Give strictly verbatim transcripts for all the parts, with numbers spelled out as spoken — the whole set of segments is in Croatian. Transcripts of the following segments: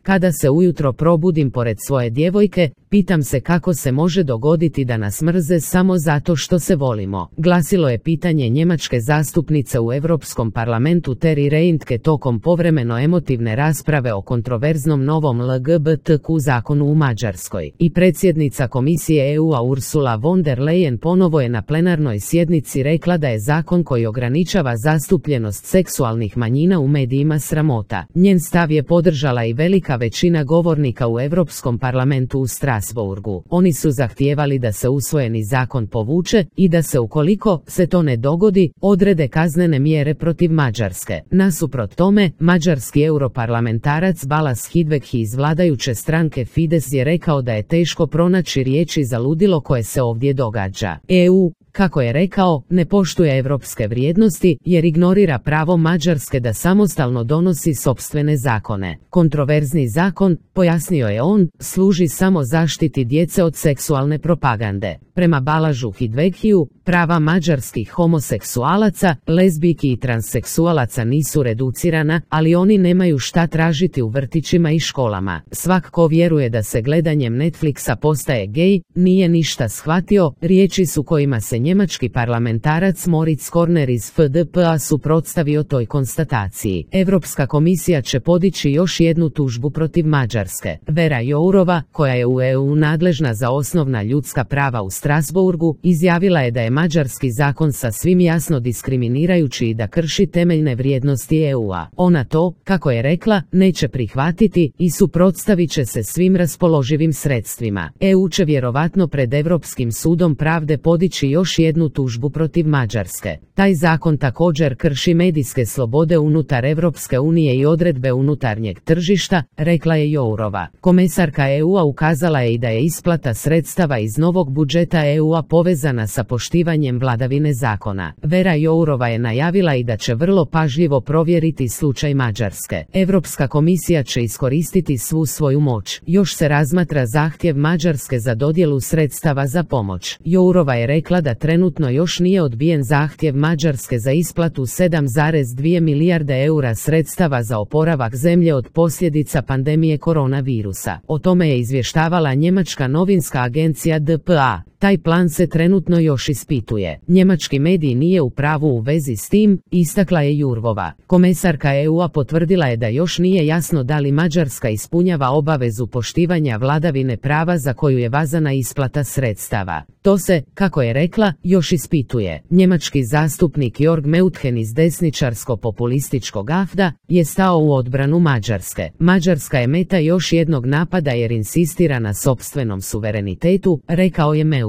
Kada se ujutro probudim pored svoje djevojke, pitam se kako se može dogoditi da nas mrze samo zato što se volimo. Glasilo je pitanje njemačke zastupnice u Europskom parlamentu Terry Reintke tokom povremeno emotivne rasprave o kontroverznom novom L G B T Q zakonu u Mađarskoj. I predsjednica Komisije E U-a Ursula von der Leyen ponovo je na plenarnoj sjednici rekla da je zakon koji ograničava zastupljenost seksualnih manjina u medijima sramota. Njen stav je podržala i velika većina govornika u Europskom parlamentu u Strasbourgu. Oni su zahtijevali da se usvojeni zakon povuče i da se, ukoliko se to ne dogodi, odrede kaznene mjere protiv Mađarske. Nasuprot tome, mađarski europarlamentarac Balas Hidvegi iz vladajuće stranke Fides je rekao da je teško pronaći riječi za ludilo koje se ovdje događa. E U, kako je rekao, ne poštuje europske vrijednosti jer ignorira pravo Mađarske da samostalno donosi sopstvene zakone. Kontroverzni zakon, pojasnio je on, služi samo zaštiti djece od seksualne propagande. Prema Balažu Hidvegiju, prava mađarskih homoseksualaca, lezbijki i transseksualaca nisu reducirana, ali oni nemaju šta tražiti u vrtićima i školama. Svak ko vjeruje da se gledanjem Netflixa postaje gej, nije ništa shvatio, riječi su kojima se njemački parlamentarac Moritz Korner iz F D P-a suprotstavio toj konstataciji. Europska komisija će podići još jednu tužbu protiv Mađarske. Vera Jourova, koja je u E U nadležna za osnovna ljudska prava u Strasbourgu, izjavila je da je mađarski zakon sasvim jasno diskriminirajući i da krši temeljne vrijednosti E U-a. Ona to, kako je rekla, neće prihvatiti i suprotstavit će se svim raspoloživim sredstvima. E U će vjerovatno pred Europskim sudom pravde podići još jednu tužbu protiv Mađarske. Taj zakon također krši medijske slobode unutar Europske unije i odredbe unutarnjeg tržišta, rekla je Jourova. Komesarka E U-a ukazala je i da je isplata sredstava iz novog budžeta E U-a povezana sa poštivanjem vladavine zakona. Vera Jourova je najavila i da će vrlo pažljivo provjeriti slučaj Mađarske. Europska komisija će iskoristiti svu svoju moć. Još se razmatra zahtjev Mađarske za dodjelu sredstava za pomoć. Jourova je rekla da trenutno još nije odbijen zahtjev Mađarske za isplatu sedam zarez dvije milijarde eura sredstava za oporavak zemlje od posljedica pandemije koronavirusa. O tome je izvještavala njemačka novinska agencija D P A. Taj plan se trenutno još ispituje. Njemački medij nije u pravu u vezi s tim, istakla je Jurvova. Komesarka E U-a potvrdila je da još nije jasno da li Mađarska ispunjava obavezu poštivanja vladavine prava za koju je vezana isplata sredstava. To se, kako je rekla, još ispituje. Njemački zastupnik Jörg Meuthen iz desničarsko-populističkog A F D-a je stao u odbranu Mađarske. Mađarska je meta još jednog napada jer insistira na sopstvenom suverenitetu, rekao je Meuthen.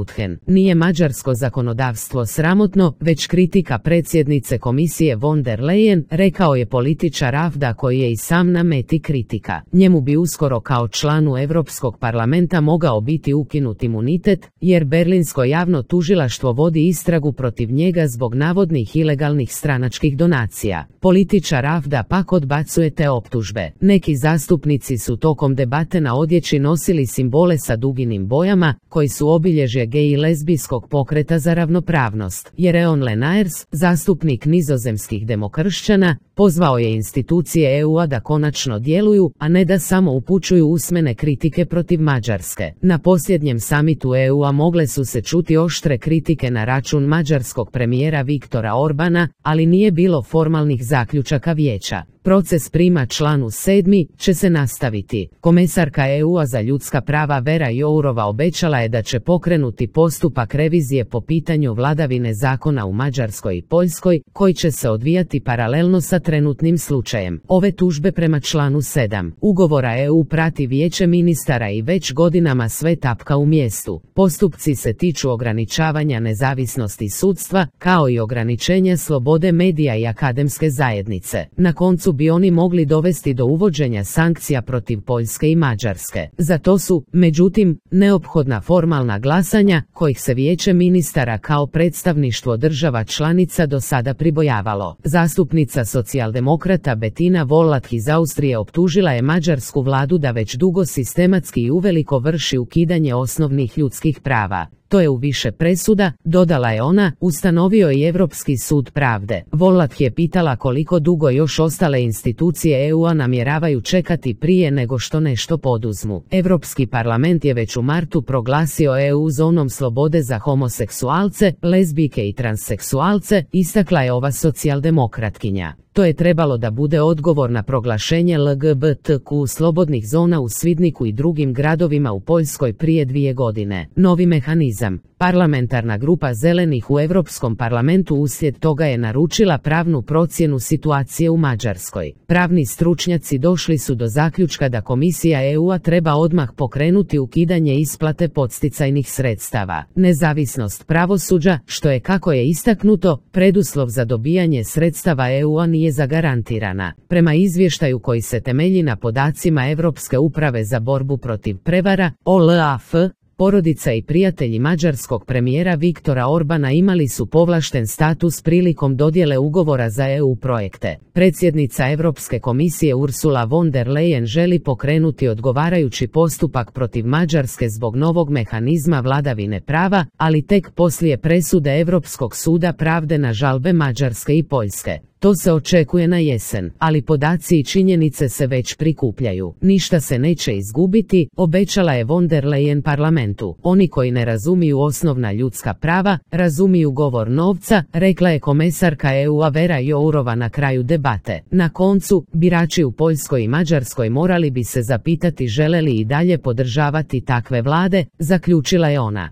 Nije mađarsko zakonodavstvo sramotno, već kritika predsjednice komisije von der Leyen, rekao je političar A F D-a koji je i sam na meti kritika. Njemu bi uskoro kao članu Europskog parlamenta mogao biti ukinut imunitet, jer Berlinsko javno tužilaštvo vodi istragu protiv njega zbog navodnih ilegalnih stranačkih donacija. Političar A F D-a pak odbacuje te optužbe. Neki zastupnici su tokom debate na odjeći nosili simbole sa duginim bojama, koji su obilježje gej i lezbijskog pokreta za ravnopravnost. Jeroen Lenaers, zastupnik nizozemskih demokršćana, pozvao je institucije E U-a da konačno djeluju, a ne da samo upućuju usmene kritike protiv Mađarske. Na posljednjem samitu E U-a mogle su se čuti oštre kritike na račun mađarskog premijera Viktora Orbana, ali nije bilo formalnih zaključaka vijeća. Proces prima članu sedmi će se nastaviti. Komesarka E U-a za ljudska prava Vera Jourova obećala je da će pokrenuti postupak revizije po pitanju vladavine zakona u Mađarskoj i Poljskoj, koji će se odvijati paralelno sa trenutnim slučajem. Ove tužbe prema članu sedam ugovora E U prati vijeće ministara i već godinama sve tapka u mjestu. Postupci se tiču ograničavanja nezavisnosti sudstva, kao i ograničenja slobode medija i akademske zajednice. Na koncu bi oni mogli dovesti do uvođenja sankcija protiv Poljske i Mađarske. Za to su, međutim, neophodna formalna glasanja, kojih se vijeće ministara kao predstavništvo država članica do sada pribojavalo. Zastupnica socijaldemokrata Bettina Wollach iz Austrije optužila je mađarsku vladu da već dugo sistematski i uveliko vrši ukidanje osnovnih ljudskih prava. To je u više presuda, dodala je ona, ustanovio i Europski sud pravde. Volat je pitala koliko dugo još ostale institucije E U-a namjeravaju čekati prije nego što nešto poduzmu. Europski parlament je već u martu proglasio E U zonom slobode za homoseksualce, lezbijke i transseksualce, istakla je ova socijaldemokratkinja. To je trebalo da bude odgovor na proglašenje L G B T Q slobodnih zona u Svidniku i drugim gradovima u Poljskoj prije dvije godine. Novi mehanizam. Parlamentarna grupa zelenih u Europskom parlamentu uslijed toga je naručila pravnu procjenu situacije u Mađarskoj. Pravni stručnjaci došli su do zaključka da Komisija E U-a treba odmah pokrenuti ukidanje isplate podsticajnih sredstava. Nezavisnost pravosuđa, što je, kako je istaknuto, preduslov za dobijanje sredstava E U-a, nije zagarantirana. Prema izvještaju koji se temelji na podacima Europske uprave za borbu protiv prevara, O L A F, porodica i prijatelji mađarskog premijera Viktora Orbana imali su povlašten status prilikom dodjele ugovora za E U projekte. Predsjednica Europske komisije Ursula von der Leyen želi pokrenuti odgovarajući postupak protiv Mađarske zbog novog mehanizma vladavine prava, ali tek poslije presude Europskog suda pravde na žalbe Mađarske i Poljske. To se očekuje na jesen, ali podaci i činjenice se već prikupljaju. Ništa se neće izgubiti, obećala je von der Leyen parlamentu. Oni koji ne razumiju osnovna ljudska prava, razumiju govor novca, rekla je komesarka E U-a Vera Jourova na kraju debate. Na koncu, birači u Poljskoj i Mađarskoj morali bi se zapitati žele li i dalje podržavati takve vlade, zaključila je ona.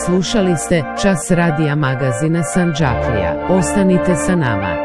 Slušali ste Čas radija magazina Sandžaklija. Ostanite sa nama.